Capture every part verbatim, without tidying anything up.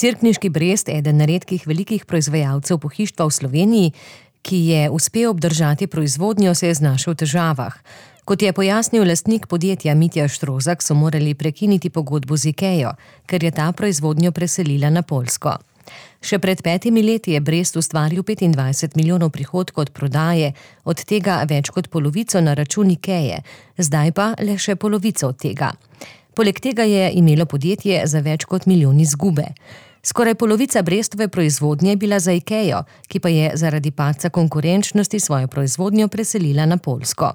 Cerkniški Brest, eden redkih velikih proizvajalcev pohištva v Sloveniji, ki je uspel obdržati proizvodnjo, se je znašel v težavah. Kot je pojasnil lastnik podjetja Mitja Štrozak, so morali prekiniti pogodbo z Ikejo, ker je ta proizvodnjo preselila na Poljsko. Še pred petimi leti je Brest ustvaril petindvajset milijonov prihodkov od prodaje, od tega več kot polovico na račun Ikeje, zdaj pa le še polovico od tega. Poleg tega je imelo podjetje za več kot milijon izgube. Skoraj polovica Brestove proizvodnje je bila za Ikejo, ki pa je zaradi padca konkurenčnosti svojo proizvodnjo preselila na Poljsko.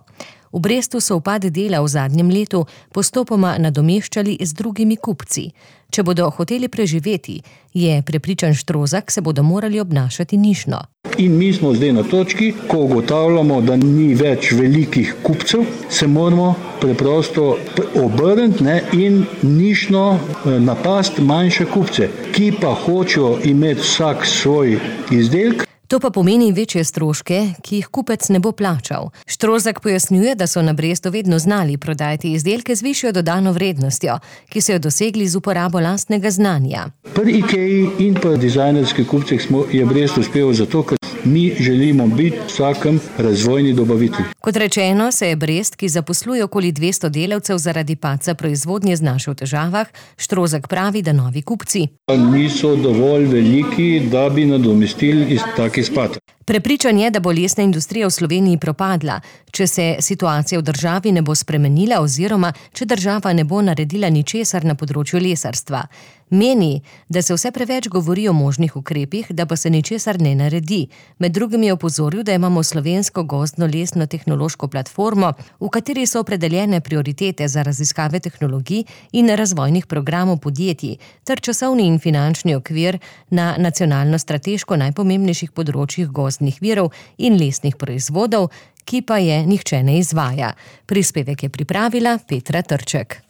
V Brestu so upad dela v zadnjem letu postopoma nadomeščali z drugimi kupci. Če bodo hoteli preživeti, je prepričan Štrozak, se bodo morali obnašati nišno. In mi smo zdaj na točki, ko ugotavljamo, da ni več velikih kupcev, se moramo preprosto obrniti ne, in nišno napasti manjše kupce, ki pa hočejo imeti vsak svoj izdelek. To pa pomeni večje stroške, ki jih kupec ne bo plačal. Štrozak pojasnjuje, da so na Brestu vedno znali prodajati izdelke z višjo dodano vrednostjo, ki so jo dosegli z uporabo lastnega znanja. Pri Ikeji in pri dizajnerskih kupcih smo, je Brest uspel zato, ker mi želimo biti vsakem razvojni dobavitelj. Kot rečeno, se je Brest, ki zaposluje okoli dvesto delavcev, zaradi padca proizvodnje znašel v težavah. Štrozak pravi, da novi kupci niso dovolj veliki, da bi nadomestili iz taki spad. Prepričan je, da bo lesna industrija v Sloveniji propadla, če se situacija v državi ne bo spremenila oziroma če država ne bo naredila ničesar na področju lesarstva. Meni, da se vse preveč govori o možnih ukrepih, da pa se ničesar ne naredi. Med drugim je opozoril, da imamo slovensko gozdno-lesno tehnološko platformo, v kateri so opredeljene prioritete za raziskave tehnologij in razvojnih programov podjetij, ter časovni in finančni okvir na nacionalno strateško najpomembnejših področjih gozdnih virov in lesnih proizvodov, ki pa je nihče ne izvaja. Prispevek je pripravila Petra Trček.